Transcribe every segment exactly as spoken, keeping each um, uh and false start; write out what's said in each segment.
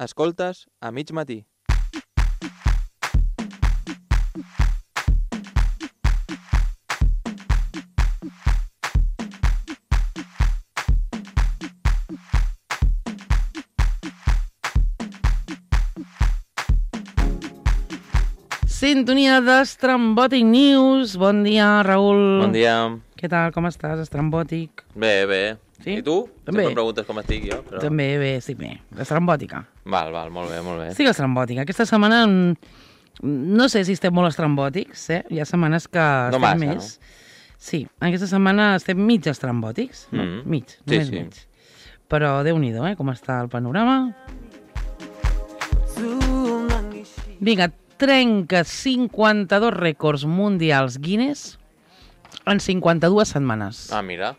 Escoltes a mig matí. Sintonia d'Estrambòtic News. Bon dia, Raül. Bon dia. Què tal, com estàs, Estrambòtic? Bé, bé. Sí? I tu? També. Sempre em preguntes com estic jo. Però... També bé, sí, bé. Estrambòtica. Val, val, molt bé, molt bé. Estic estrambòtica. Aquesta setmana no sé si estem molt estrambòtics, eh? Hi ha setmanes que No estem massa, més. No? Sí, aquesta setmana estem mig estrambòtics. No, Mm. mig, Sí, només sí. mig. Però Déu-n'hi-do, eh? Com està el panorama. Vinga, trenca cinquanta-dos rècords mundials Guinness en cinquanta-dues setmanes. Ah, mira.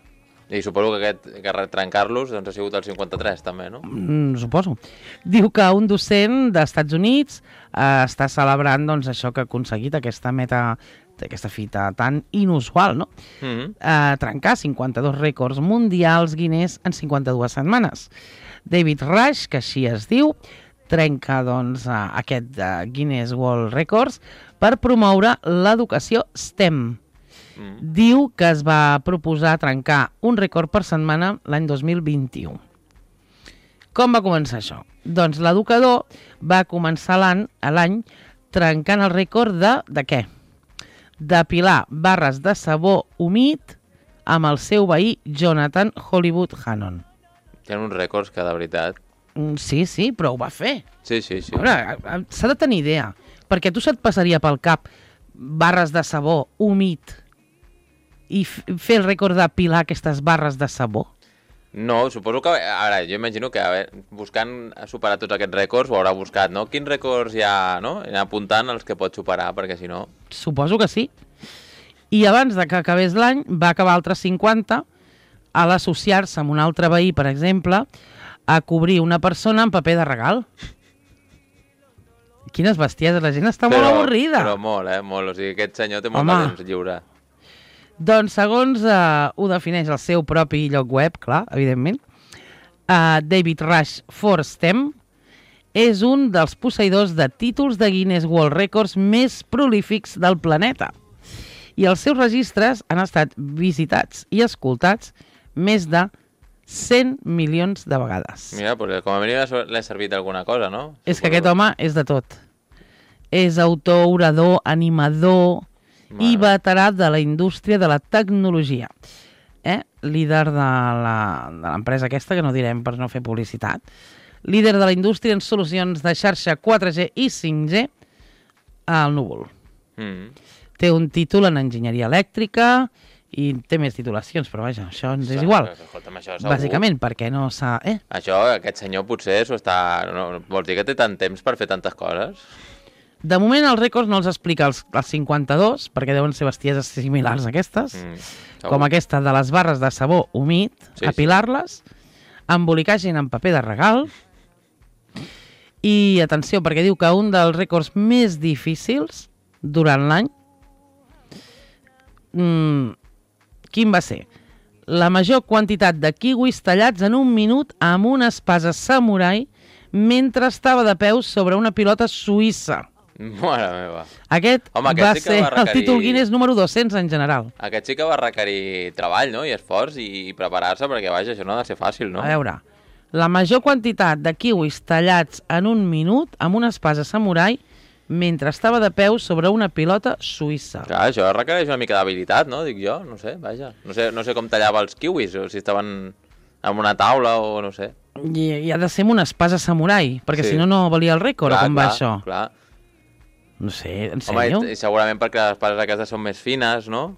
I suposo que aquest que retrencar-los doncs, ha sigut el cinquanta-tres, també, no? Mm, suposo. Diu que un docent d'Estats Units eh, està celebrant doncs, això que ha aconseguit, aquesta meta, aquesta fita tan inusual, no? Mm -hmm. Eh, trencar cinquanta-dos rècords mundials Guinness en cinquanta-dues setmanes. David Rush, que així es diu, trenca doncs, eh, aquest eh, Guinness World Records per promoure l'educació STEM. Mm. Diu que es va proposar trencar un rècord per setmana l'any dos mil vint-i-u. Com va començar això? Doncs l'educador va començar l'any l'any trencant el rècord de, de què? D'apilar barres de sabó humit amb el seu veí Jonathan Hollywood Hannon. Tenen uns rècords que, de veritat... Mm, Sí, sí, però ho va fer. Sí, sí, sí. A veure, s'ha de tenir idea, perquè tu se't passaria pel cap barres de sabó humit i f- fer el rècord d'apilar aquestes barres de sabó? No, suposo que... Ara, jo imagino que a veure, buscant superar tots aquests rècords ho haurà buscat, no? Quins rècords hi ha, no? I anar apuntant els que pot superar, perquè si no... Suposo que sí. I abans de que acabés l'any va acabar altres cinquanta a l'associar-se amb un altre veí, per exemple, a cobrir una persona amb paper de regal. Quines bestieses, la gent està molt avorrida. Però molt, eh? Molt. O sigui, aquest senyor té molt Home. de temps lliure. Doncs segons eh, ho defineix el seu propi lloc web, clar, evidentment, eh, David Rush for STEM és un dels posseïdors de títols de Guinness World Records més prolífics del planeta. I els seus registres han estat visitats i escoltats més de cent milions de vegades. Mira, pues, com a mínim l'he servit d'alguna cosa, no? És que Suposo. aquest home és de tot. És autor, orador, animador i Mare. veterà de la indústria de la tecnologia. Eh? Líder de la- de l'empresa aquesta, que no direm per no fer publicitat. Líder de la indústria en solucions de xarxa quatre G i cinc G al núvol. Mm. Té un títol en enginyeria elèctrica i té més titulacions, però vaja, això ens és igual. Escolta'm, això segur. Bàsicament perquè no s'ha... Eh? Això, aquest senyor potser s'ho està... No, vols dir que té tant temps per fer tantes coses? De moment els rècords no els explica els, els cinquanta-dos, perquè deuen ser bestieses similars a aquestes, Mm, segur. com aquesta de les barres de sabó humit, Sí, apilar-les, embolicar gent en paper de regal, i atenció, perquè diu que un dels rècords més difícils durant l'any, mm, quin va ser? La major quantitat de kiwis tallats en un minut amb una espasa samurai mentre estava de peus sobre una pilota suïssa. Mare meva. Aquest Home, aquest va sí que ser va requerir- el títol Guinness número dos-cents en general. Aquest sí que va requerir treball, no? I esforç i, i preparar-se, perquè, vaja, això no ha de ser fàcil, no? A veure, la major quantitat de kiwis tallats en un minut amb una espasa samurai mentre estava de peus sobre una pilota suïssa. Clar, això requereix una mica d'habilitat, no? Dic jo, no sé, vaja. No sé, no sé com tallava els kiwis, o si estaven en una taula o no sé. I, i ha de ser amb una espasa samurai, perquè Sí. si no, no valia el rècord, clar, o com clar, va això? Clar. No sé, en Home, sèrio? i, i segurament perquè les espases aquestes són més fines, no?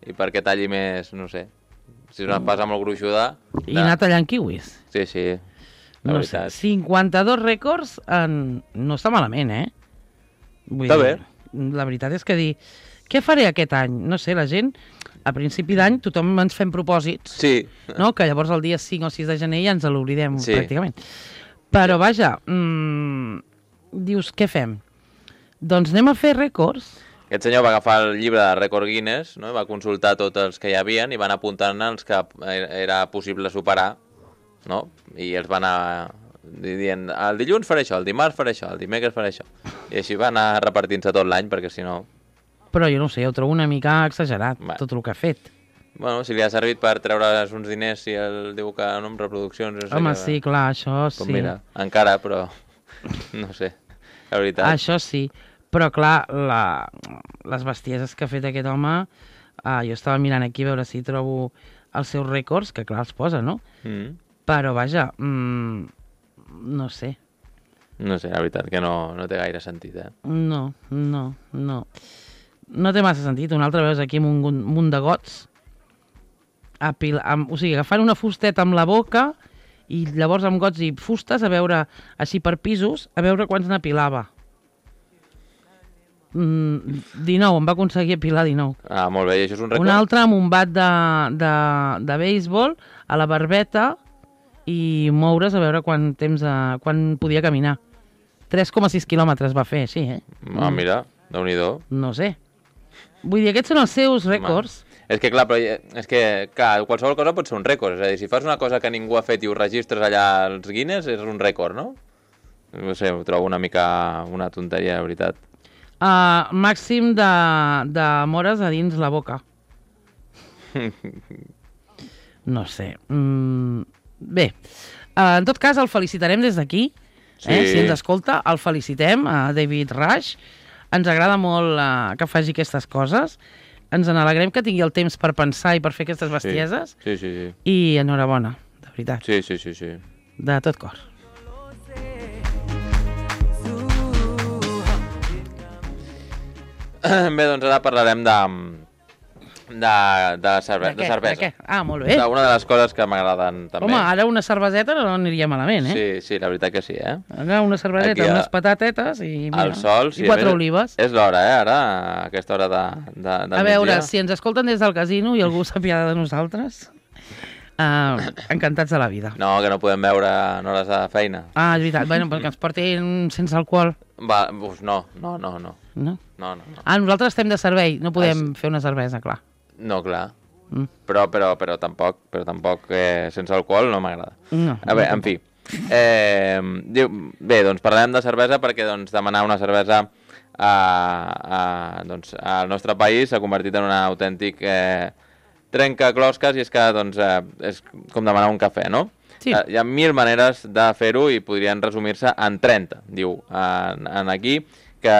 I perquè talli més, no sé. Si és una espasa molt gruixuda... I anar tallant kiwis. Sí, sí, la No sé, veritat. cinquanta-dos rècords en... no està malament, eh? Vull Està dir, la veritat és que dir, què faré aquest any? No sé, la gent, a principi d'any, tothom ens fem propòsits, Sí, no? Que llavors el dia cinc o sis de gener ja ens l'oblidem Sí. pràcticament. Però vaja, mmm, dius, què fem? Doncs anem a fer rècords. aquest senyor va agafar el llibre de rècord Guinness, no? I va consultar tots els que hi havien i van apuntant els que era possible superar, no? I els van anar dient, el dilluns faré això, el dimarts faré això, el dimecres faré això. I així va anar repartint-se tot l'any, perquè si no... Però jo no sé, ho trobo una mica exagerat, Va. tot el que ha fet. Bueno, si li ha servit per treure's uns diners, si el diu que no amb reproduccions... No sé Home, que... sí, clar, això Com sí. mira, encara, però... No sé, la veritat. Això sí, però clar, la... les bestieses que ha fet aquest home, uh, jo estava mirant aquí a veure si trobo els seus rècords, que clar, els posa, no? Mm. Però vaja, mmm, no sé. No sé, la veritat, que no, no té gaire sentit, eh? No, no, no. No té massa sentit. Un altre veus aquí amb un munt de gots, apil... amb... o sigui, agafant una fusteta amb la boca i llavors amb gots i fustes a veure, així per pisos, a veure quants n'apilava. Mm, dinou, em va aconseguir apilar dinou. Ah, molt bé, i això és un rècord? Un altre amb un bat de, de, de béisbol a la barbeta i moure's a veure quant temps, a, quan podia caminar. tres coma sis quilòmetres va fer, així, eh? Ah, mira, déu-n'hi-do. No sé. Vull dir, aquests són els seus rècords. És que, clar, però, és que, clar, qualsevol cosa pot ser un rècord. És a dir, si fas una cosa que ningú ha fet i ho registres allà als Guinness, és un rècord, no? No sé, ho trobo una mica una tonteria, de veritat. Uh, màxim de, de mores a dins la boca. No sé. Mm, bé, uh, en tot cas, el felicitarem des d'aquí. Sí. Eh? Si ens escolta, el felicitem, a David Rush. Ens agrada molt uh, que faci aquestes coses. Ens n'alegrem que tingui el temps per pensar i per fer aquestes bestieses. Sí, sí, sí. I enhorabona, de veritat. Sí, sí, sí, sí. De tot cor. Bé, doncs ara parlarem de, de, de, cerve De de què? cervesa. De què? Ah, molt bé. Una de les coses que m'agraden també. Home, ara una cerveseta no aniria malament, eh? Sí, sí, la veritat que sí, eh? Ara una cerveseta, Aquí a- unes patatetes i, mira, El sol, sí. i quatre a més, olives. És l'hora, eh, ara, a aquesta hora de, de, del A veure, migdia. si ens escolten des del casino i algú s'apiada de nosaltres, uh, encantats de la vida. No, que no podem veure en hores de feina. Ah, és veritat, bueno, perquè ens portin sense alcohol, Va, uf, no, no, no, no. no? No, no, no. Ah, nosaltres estem de servei, no podem Ah, fer una cervesa, clar. No, clar. Mm. Però, però, però tampoc, però tampoc eh, sense alcohol no m'agrada. No, A veure, no en fi. Eh, diu, bé, doncs parlem de cervesa perquè doncs, demanar una cervesa a, a, doncs, al nostre país s'ha convertit en un autèntic eh, trencaclosques i és que doncs, eh, és com demanar un cafè, no? Sí. Eh, hi ha mil maneres de fer-ho i podrien resumir-se en trenta, diu en, en aquí, que,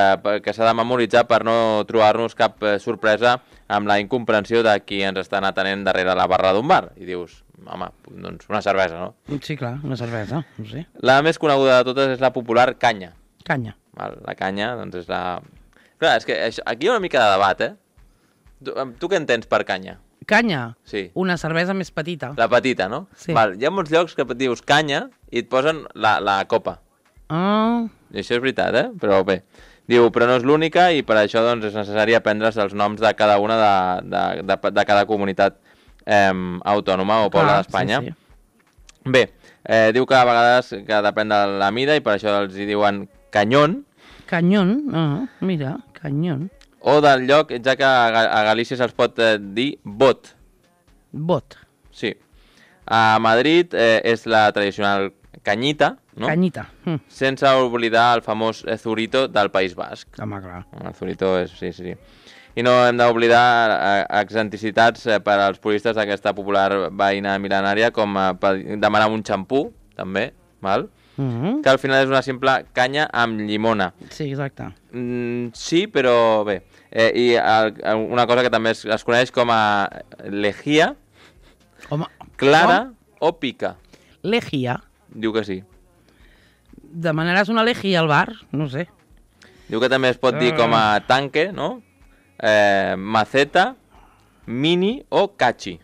que s'ha de memoritzar per no trobar-nos cap eh, sorpresa amb la incomprensió de qui ens estan atenent darrere la barra d'un bar. I dius, home, doncs una cervesa, no? Sí, clar, una cervesa, no sé. La més coneguda de totes és la popular canya. Canya. Val? La canya, doncs és la... Clar, és que això, aquí hi ha una mica de debat, eh? Tu, tu què entens per canya? Canya? Sí. Una cervesa més petita. La petita, no? Sí. Val, hi ha molts llocs que dius canya i et posen la, la copa. Ah, I això és veritat, eh? Però bé. Diu, però no és l'única i per això doncs, és necessari aprendre's els noms de cada una de, de, de, de cada comunitat eh, autònoma o poble ah, d'Espanya. sí, sí. Bé, eh, diu que a vegades que depèn de la mida i per això els hi diuen canyón, Canyón, ah, mira, canyón. o del lloc, ja que a, Ga- a Galícia se'ls pot eh, dir bot. Bot. Sí. A Madrid eh, és la tradicional canyita, no? Canyita. Mm. Sense oblidar el famós eh, zurito del País Basc. Home, clar. El zurito és... Sí, sí, sí. I no hem d'oblidar eh, excentricitats eh, per als puristes d'aquesta popular veïna mil·lenària, com eh, per demanar un xampú, també, val? Mm -hmm. Que al final és una simple canya amb llimona. Sí, exacte. Mm, sí, però bé. Eh, I el, una cosa que també es, es coneix com a lejía, Home, clara o pica. Legia. Diu que sí. Demanaràs una legia al bar? No sé. Diu que també es pot dir com a tanque, no? Eh, maceta, mini o cachi.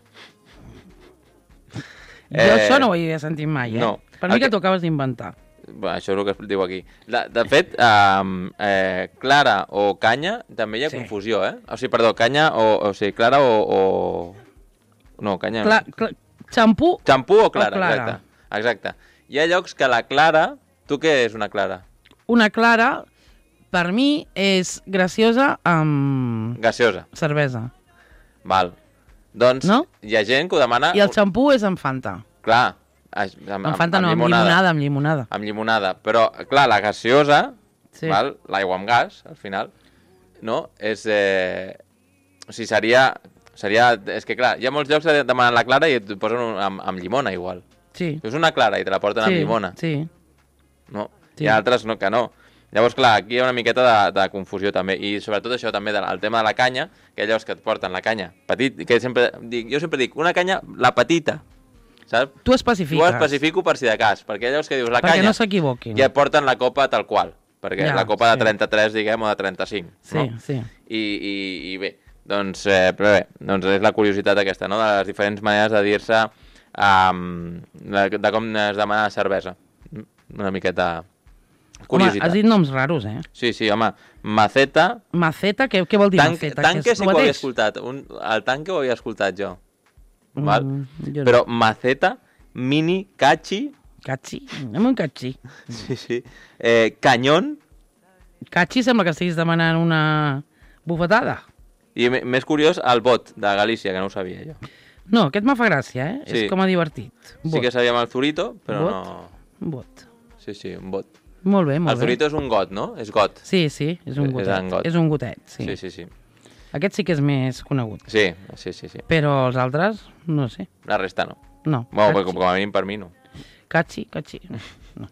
Jo això no ho havia sentit mai, eh? no. Per mi El que que- t'ho acabes d'inventar. Bé, això és el que es diu aquí. De, de fet, eh, eh, clara o canya, també hi ha Sí. confusió, eh? O sigui, perdó, canya o... O sigui, clara o... o... No, canya... Cla cla xampú? Xampú o clara, clara. exacte. Exacte. Hi ha llocs que la clara... Tu què és una clara? Una clara, per mi, és graciosa amb Gaseosa. cervesa. Val. Doncs No? hi ha gent que ho demana... I el xampú és amb Fanta. Clar, Amb, amb Fanta no, amb llimonada, amb llimonada. Amb llimonada, però, clar, la gaseosa, sí. l'aigua amb gas, al final, no? És... Eh... O sigui, seria... seria... És que, clar, hi ha molts llocs que demanen la clara i et posen un, amb, amb llimona, igual. Sí. És una clara i te la porten sí, amb llimona. Sí, no? sí. Hi ha altres no, que no. Llavors, clar, aquí hi ha una miqueta de, de confusió també, i sobretot això també, del el tema de la canya, que hi ha llocs que et porten la canya petit, que sempre dic, jo sempre dic, una canya, la petita, saps? Tu especifiques. Tu especifico per si de cas, perquè llavors que dius la perquè canya... no s'equivoquin. Ja et porten la copa tal qual, perquè ja, la copa sí. de trenta-tres, diguem, o de trenta-cinc. Sí, no? sí. I, i, i bé, doncs, eh, però bé, doncs és la curiositat aquesta, no?, de les diferents maneres de dir-se um, de, de com es demana cervesa. Una miqueta... curiositat. Home, has dit noms raros, eh? Sí, sí, home, maceta... Maceta, què, què vol dir Tanque, maceta? tanque sí que ho havia escoltat, un, el tanque ho havia escoltat jo. Val? Mm, jo no. Però maceta, mini, cachi... Cachi? Anem un cachi. Sí, sí. Eh, canyón... Cachi sembla que estiguis demanant una bufetada. I més curiós, el bot de Galícia, que no ho sabia jo. No, aquest me fa gràcia, eh? Sí. És com a divertit. Bot. Sí que sabíem el zurito, però bot? no... Un bot. Sí, sí, un bot. Molt bé, molt el zurito bé. és un got, no? És got. Sí, sí, és un gotet. És, got. és un gotet, sí. Sí, sí, sí. Aquest sí que és més conegut. Sí, sí, sí, sí. Però els altres, no sé. La resta no. No. Bueno, com, com a mínim per mi no. Cachi, cachi. No.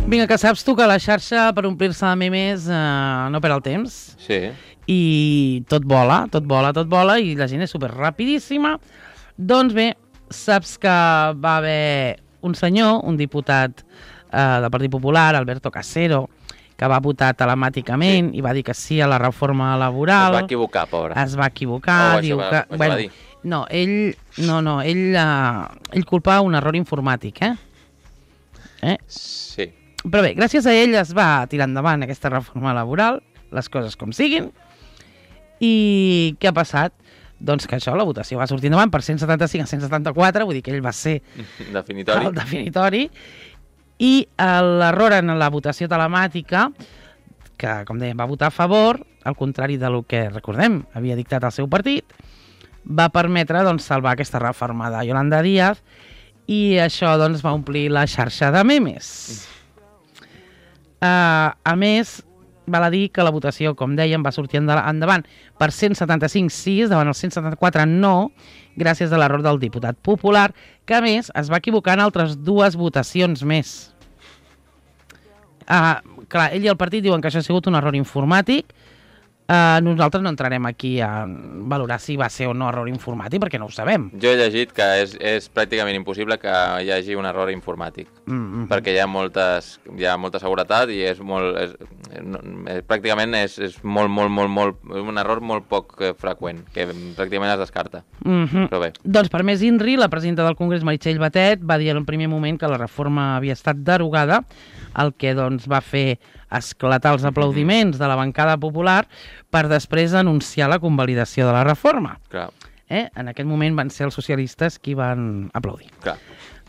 Vinga, que saps tu que la xarxa per omplir-se de memes eh, no perd el temps. Sí. I tot vola, tot vola, tot vola, i la gent és super rapidíssima. Doncs bé, saps que va haver un senyor, un diputat eh, del Partit Popular, Alberto Casero, que va votar telemàticament sí. i va dir que sí a la reforma laboral. Es va equivocar, pobre. Es va equivocar. Oh, diu va, que, bueno, va dir. No, ell, no, no, ell, uh, ell culpa un error informàtic, eh? eh? Sí. Però bé, gràcies a ell es va tirar endavant aquesta reforma laboral, les coses com siguin, i què ha passat? Doncs que això, la votació va sortir endavant per cent setanta-cinc a cent setanta-quatre, vull dir que ell va ser definitori. el definitori, i l'error en la votació telemàtica, que, com dèiem, va votar a favor, al contrari del que, recordem, havia dictat el seu partit, va permetre doncs, salvar aquesta reforma de Yolanda Díaz, i això doncs, va omplir la xarxa de memes. Uh, a més, val a dir que la votació, com dèiem, va sortir endavant per cent setanta-cinc sí, davant el cent setanta-quatre no, gràcies a l'error del diputat popular, que a més es va equivocar en altres dues votacions més. Uh, clar, ell i el partit diuen que això ha sigut un error informàtic. Uh, nosaltres no entrarem aquí a valorar si va ser o no error informàtic, perquè no ho sabem. Jo he llegit que és, és pràcticament impossible que hi hagi un error informàtic, mm -hmm. perquè hi ha, moltes, hi ha molta seguretat i és molt, és, és, pràcticament és, és molt, molt, molt, molt, un error molt poc freqüent, que pràcticament es descarta. Mm -hmm. Però bé. Doncs per més Inri, la presidenta del Congrés, Meritxell Batet, va dir en el primer moment que la reforma havia estat derogada, el que doncs, va fer esclatar els aplaudiments de la bancada popular per després anunciar la convalidació de la reforma. Clar. Eh? En aquest moment van ser els socialistes qui van aplaudir. Clar.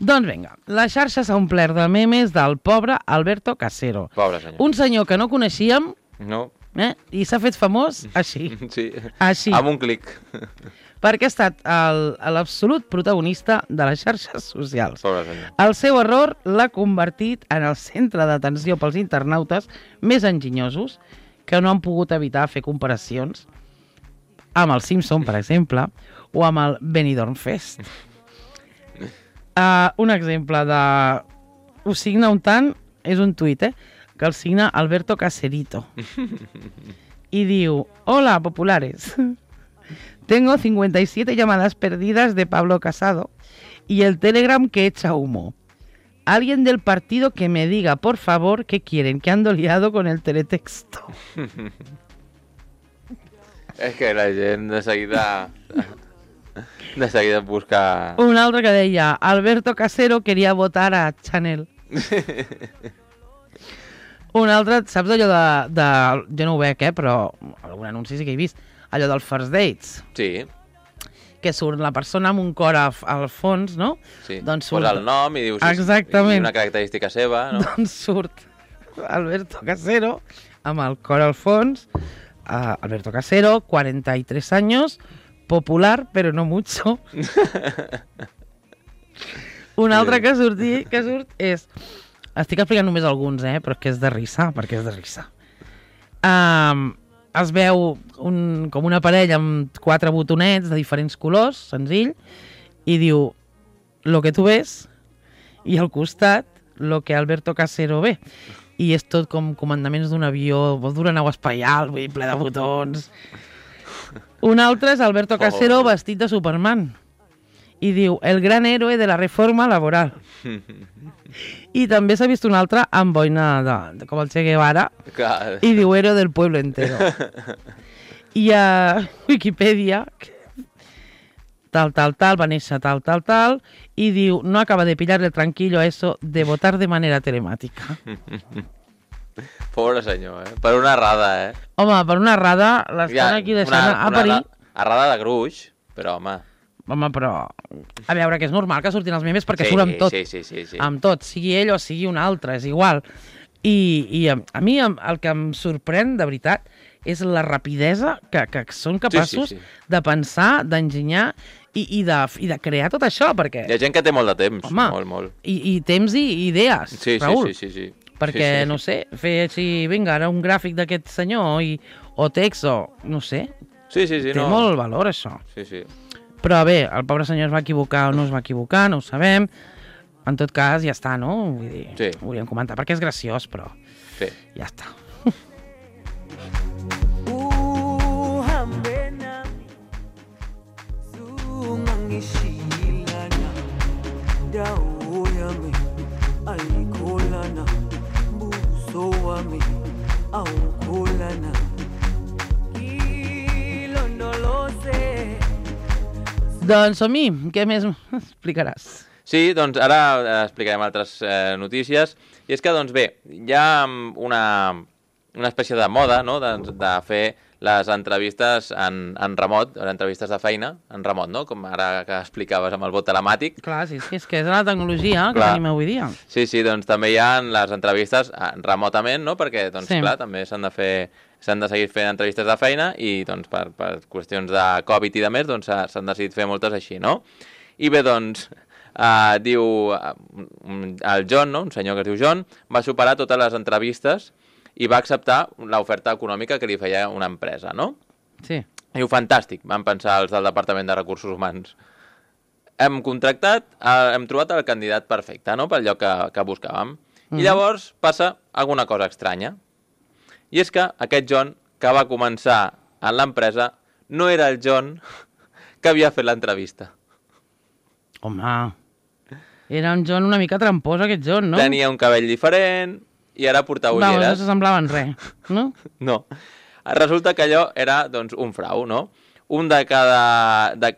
Doncs vinga, la xarxa s'ha omplert de memes del pobre Alberto Casero. Pobre senyor. Un senyor que no coneixíem no. eh? i s'ha fet famós així. Sí, així. amb un clic. Perquè ha estat l'absolut protagonista de les xarxes socials. Pobre senyor. El seu error l'ha convertit en el centre d'atenció pels internautes més enginyosos que no han pogut evitar fer comparacions amb el Simpson, per exemple, o amb el Benidorm Fest. Uh, un exemple de... Ho signa un tant, és un tuit, eh? Que el signa Alberto Caserito. I diu, hola, populares. Tengo cincuenta y siete llamadas perdidas de Pablo Casado y el Telegram que echa humo. Alguien del partido que me diga, por favor, qué quieren, que ando liado con el teletexto. És que la gent de seguida... De seguida busca... Un altre que deia, Alberto Casero quería votar a Chanel. Un altre, saps allò de, de... Jo no ho veig, eh, però algun anunci sí que he vist. Allò del First Dates. Sí. Que surt la persona amb un cor al, al fons, no? Sí, doncs surt... posa el nom i dius... Exactament. I una característica seva, no? Doncs surt Alberto Casero amb el cor al fons. Uh, Alberto Casero, cuarenta y tres años, popular, però no mucho. Un altre que, surti, que surt és... Estic explicant només alguns, eh? Però és que és de risa, perquè és de risa. Um, es veu un, com una parella amb quatre botonets de diferents colors, senzill, i diu, lo que tu ves, i al costat, lo que Alberto Casero ve. I és tot com comandaments d'un avió, d'una nau espacial, vull dir, ple de botons. Un altre és Alberto Casero oh. vestit de Superman. I diu, el gran héroe de la reforma laboral. I també s'ha vist un altre amb boina de, de, com el Che Guevara. Clar. I diu, héroe del pueblo entero. I a Wikipedia, tal, tal, tal, va néixer tal, tal, tal, i diu, no acaba de pillar el tranquillo a eso de votar de manera telemàtica. Pobre senyor, eh? Per una errada, eh? Home, per una errada l'estan ja, aquí deixant una, a parir. Una errada de gruix, però home... Home, però... A veure, que és normal que surtin els memes perquè sí, surt amb tot. Sí, sí, sí, sí. Amb tot, sigui ell o sigui un altre, és igual. I, i a, a mi el que em sorprèn, de veritat, és la rapidesa que, que són capaços sí, sí, sí. de pensar, d'enginyar i, i, de, i de crear tot això, perquè... Hi ha gent que té molt de temps, home, molt, molt. I, i temps i idees, sí, Raül. Sí, sí, sí, sí. Perquè, sí, sí. no sé, fer així, vinga, ara un gràfic d'aquest senyor, i, o text, o no sé. Sí, sí, sí. Té no. molt valor, això. Sí, sí. Però bé, el pobre senyor es va equivocar o no es va equivocar, no ho sabem. En tot cas, ja està, no? Vull dir, sí. Ho volíem comentar, perquè és graciós, però sí. Ja està. Doncs som-hi, què més explicaràs? Sí, doncs ara explicarem altres eh, notícies. I és que, doncs bé, hi ha una, una espècie de moda, no?, de, de fer les entrevistes en, en remot, les entrevistes de feina en remot, no?, com ara que explicaves amb el vot telemàtic. Clar, sí, sí, és que és la tecnologia que clar. Tenim avui dia. Sí, sí, doncs també hi ha les entrevistes remotament, no?, perquè, doncs, sí. clar, també s'han de fer... s'han de seguir fent entrevistes de feina i doncs, per, per qüestions de Covid i de més doncs, s'han decidit fer moltes així, no? I bé, doncs, eh, diu el John, no? Un senyor que es diu John, va superar totes les entrevistes i va acceptar l'oferta econòmica que li feia una empresa, no? Sí. Diu, fantàstic, van pensar els del Departament de Recursos Humans. Hem contractat, eh, hem trobat el candidat perfecte, no?, pel lloc que, que buscàvem. Mm-hmm. I llavors passa alguna cosa estranya. I és que aquest John, que va començar en l'empresa, no era el John que havia fet l'entrevista. Home, era un John una mica trampós, aquest John, no? Tenia un cabell diferent i ara portava ulleres. Va, no s'assemblaven res, no? No. Resulta que allò era, doncs, un frau, no? Un de cada... De,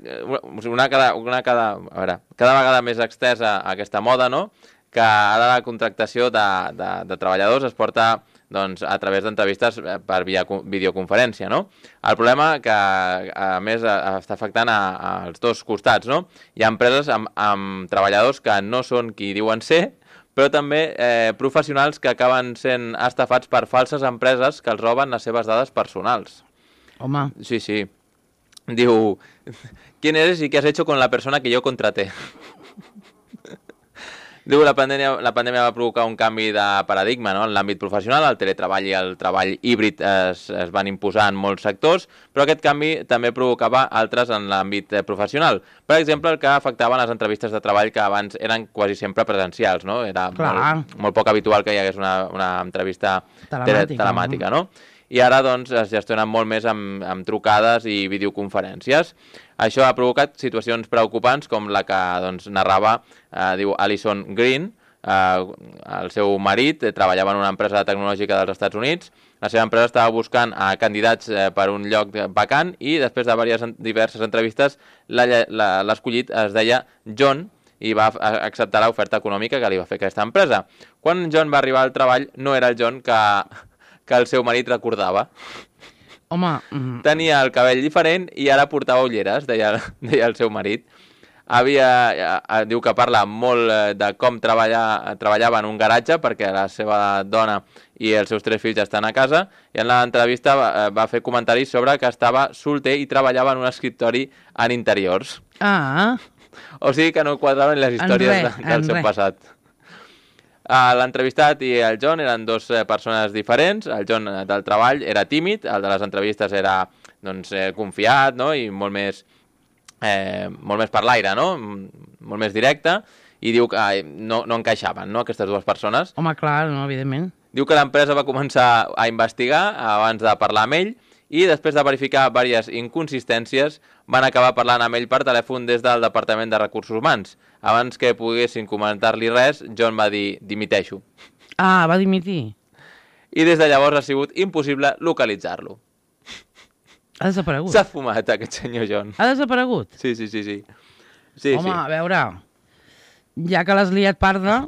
una cada, una cada... A veure, cada vegada més extesa aquesta moda, no?, que ara la contractació de, de, de treballadors es porta... doncs, a través d'entrevistes per via videoconferència, no? El problema que, a més, està afectant a, als dos costats, no? Hi ha empreses amb, amb treballadors que no són qui diuen ser, però també eh, professionals que acaben sent estafats per falses empreses que els roben les seves dades personals. Home. Sí, sí. Diu, ¿quién eres y qué has hecho con la persona que yo contraté? Diu, la pandèmia, la pandèmia va provocar un canvi de paradigma, no?, en l'àmbit professional. El teletreball i el treball híbrid es, es van imposar en molts sectors, però aquest canvi també provocava altres en l'àmbit professional. Per exemple, el que afectava les entrevistes de treball que abans eren quasi sempre presencials, no? Era molt, molt poc habitual que hi hagués una, una entrevista telemàtica, telemàtica no? I ara doncs, es gestionen molt més amb, amb trucades i videoconferències. Això ha provocat situacions preocupants com la que doncs, narrava, eh, diu Alison Green, eh, el seu marit, eh, treballava en una empresa tecnològica dels Estats Units, la seva empresa estava buscant eh, candidats eh, per un lloc vacant i després de diverses, diverses entrevistes l'escollit es deia John i va acceptar l'oferta econòmica que li va fer aquesta empresa. Quan John va arribar al treball no era el John que... que el seu marit recordava. Home... Mm. Tenia el cabell diferent i ara portava ulleres, deia, deia el seu marit. havia, eh, diu que parla molt eh, de com treballa, treballava en un garatge perquè la seva dona i els seus tres fills estan a casa, i en l'entrevista va, va fer comentaris sobre que estava solter i treballava en un escriptori en interiors. Ah. O sigui que no quadraven les històries re, de, del seu re. passat. Uh, L'entrevistat i el John eren dues eh, persones diferents. El John eh, del treball era tímid, el de les entrevistes era doncs, eh, confiat, no? I molt més, eh, molt més per l'aire, no? Molt més directe, i diu que eh, no, no encaixaven, no?, aquestes dues persones. Home, clar, no, evidentment. Diu que l'empresa va començar a investigar abans de parlar amb ell i després de verificar diverses inconsistències van acabar parlant amb ell per telèfon des del Departament de Recursos Humans. Abans que poguessin comentar-li res, John va dir dimiteixo. Ah, va dimitir. I des de llavors ha sigut impossible localitzar-lo. Ha desaparegut. S'ha fumat aquest senyor John. Ha desaparegut? Sí, sí, sí, sí. sí Home, sí. a veure, ja que l'has liat parda,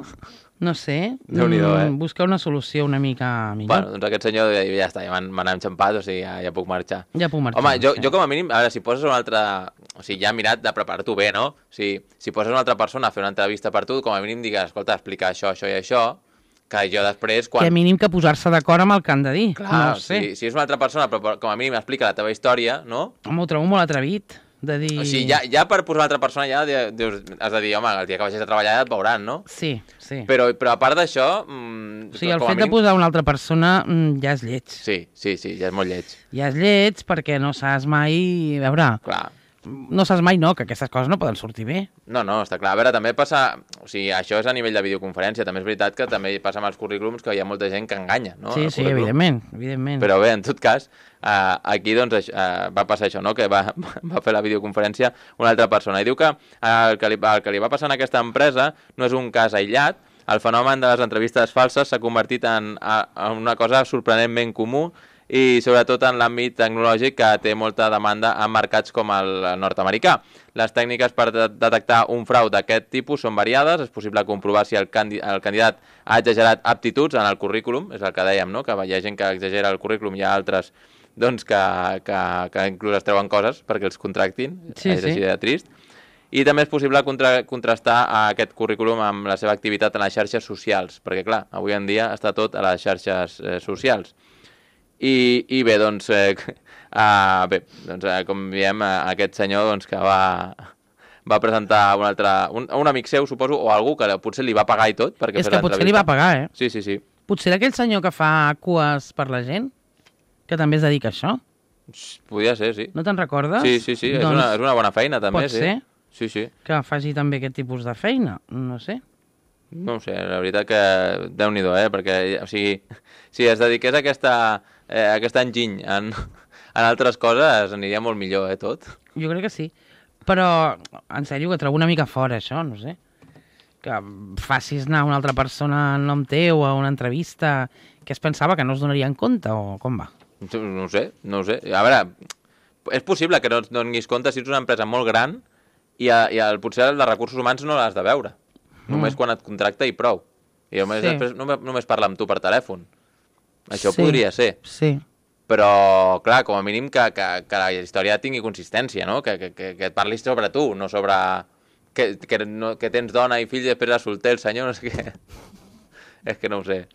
no sé, Déu-n'hi-do, eh? busca una solució una mica millor. Bueno, doncs aquest senyor ja, ja està, ja m'han enxampat, o sigui, ja, ja puc marxar. Ja puc marxar. Home, jo, sí. jo com a mínim, a veure, si poses una altra... O sigui, ja he mirat de preparar-t'ho bé, no? O sigui, si poses una altra persona a fer una entrevista per tu, com a mínim digues, escolta, explicar això, això i això, que jo després, quan... Que mínim que posar-se d'acord amb el que han de dir. Clar, no ho sé. si, si és una altra persona, però com a mínim explica la teva història, no? Home, ho trobo molt atrevit, de dir... O sigui, ja, ja per posar una altra persona ja dius, has de dir, home, el dia que vagis a treballar ja et veuran, no? Sí, sí. Però, però a part d'això... Mm, O sigui, el com a fet mínim... de posar una altra persona mm, ja és lleig. Sí, sí, sí, ja és molt lleig. Ja és lleig perquè no saps mai... A veure, Clar. no saps mai no, que aquestes coses no poden sortir bé. No, no, està clar. A veure, també passa... O sigui, això és a nivell de videoconferència. També és veritat que també passa amb els currículums que hi ha molta gent que enganya, no? Sí, sí, evidentment, evidentment. Però bé, en tot cas, uh, aquí doncs uh, va passar això, no? Que va, va fer la videoconferència una altra persona. I diu que uh, el, que li, el que li va passar en aquesta empresa no és un cas aïllat. El fenomen de les entrevistes falses s'ha convertit en, en una cosa sorprenentment comú i sobretot en l'àmbit tecnològic que té molta demanda en mercats com el nord-americà. Les tècniques per de detectar un frau d'aquest tipus són variades. És possible comprovar si el, candi el candidat ha exagerat aptituds en el currículum, és el que dèiem, no? Que hi ha gent que exagera el currículum, hi ha altres doncs, que, que, que inclús es treuen coses perquè els contractin, sí, és sí. així de trist. I també és possible contra contrastar aquest currículum amb la seva activitat en les xarxes socials, perquè clar, avui en dia està tot a les xarxes eh, socials. I, i bé, doncs, eh, uh, bé, doncs eh, com diem, eh, aquest senyor doncs, que va, va presentar un altre, un, un amic seu, suposo, o algú que potser li va pagar i tot. Perquè és que potser li va pagar, eh? Sí, sí, sí. Potser aquell senyor que fa cues per la gent, que també es dedica a això. Podria ser, sí. No te'n recordes? Sí, sí, sí, doncs, és, una, és una bona feina també, pot sí. ser sí, sí. que faci també aquest tipus de feina, no sé. No ho sé, la veritat que Déu-n'hi-do, eh? Perquè, o sigui, si es dediqués a aquesta, eh, a aquest enginy en, en altres coses, aniria molt millor, eh, tot. Jo crec que sí. Però, en sèrio, que trobo una mica fora, això, no sé. Que facis anar una altra persona en nom teu a una entrevista que es pensava que no es donaria en compte, o com va? No ho sé, no ho sé. A veure, és possible que no et donis compte si ets una empresa molt gran i, a, i el, potser el de recursos humans no l'has de veure. Només mm. quan et contracta i prou. I només, sí. després només, només parla amb tu per telèfon. Això sí. podria ser. Sí. Però, clar, com a mínim que, que, que la història tingui consistència, no? Que, que, que et parlis sobre tu, no sobre... Que, que, no, que tens dona i fill i després és solter el senyor, no sé què. És que no ho sé.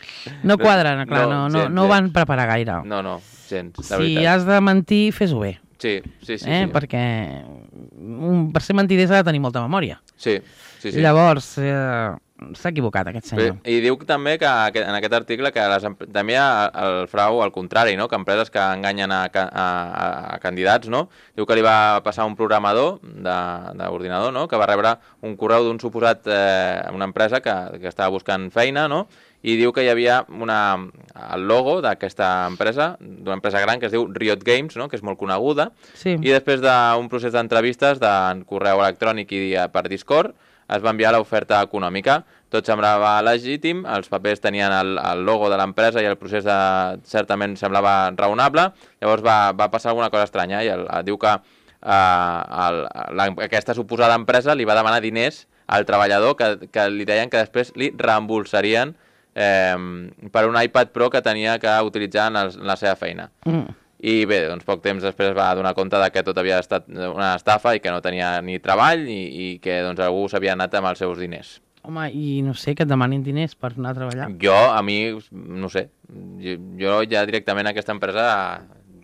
No quadren, clar, no, no, gens, no ho van preparar gaire. No, no, gens, la si veritat. has de mentir, fes-ho bé. Sí, sí, sí. Eh? sí. Perquè un, per ser mentider s'ha de tenir molta memòria. Sí, sí, sí. Llavors, eh, s'ha equivocat aquest senyor. Bé, i diu també que en aquest article que les, també hi ha el frau al contrari, no? Que empreses que enganyen a, a, a candidats, no? Diu que li va passar un programador d'ordinador, no? Que va rebre un correu d'un suposat, eh, una empresa que, que estava buscant feina, no? I diu que hi havia una, el logo d'aquesta empresa, d'una empresa gran que es diu Riot Games, no? Que és molt coneguda, sí. I després d'un procés d'entrevistes de correu electrònic i per Discord es va enviar l'oferta econòmica. Tot semblava legítim, els papers tenien el, el logo de l'empresa i el procés de, certament semblava raonable. Llavors va, va passar alguna cosa estranya i el, diu que eh, el, la, aquesta suposada empresa li va demanar diners al treballador que, que li deien que després li reembolsarien eh, per un iPad Pro que tenia que utilitzar en, el, en la seva feina. Mm. i bé, doncs poc temps després es va donar compte de que tot havia estat una estafa i que no tenia ni treball i, i que doncs, algú s'havia anat amb els seus diners. Home, i no sé, que et demanin diners per anar a treballar. Jo, a mi, no sé, jo, jo ja directament a aquesta empresa...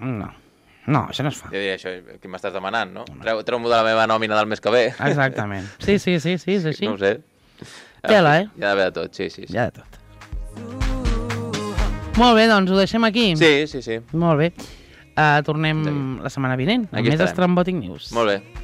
No, no, això no es fa. Jo diria això, què m'estàs demanant, no? Treu, treu-m'ho de la meva nòmina del mes que ve. Exactament. Sí, sí, sí, sí, és així. No ho sé. Tela, eh? Hi ha d'haver de tot, sí, sí. sí. Hi ha de tot. Molt bé, doncs ho deixem aquí. Sí, sí, sí. Molt bé. Uh, tornem la setmana vinent, amb Aquí més estarem. Estrambòtic News. Molt bé.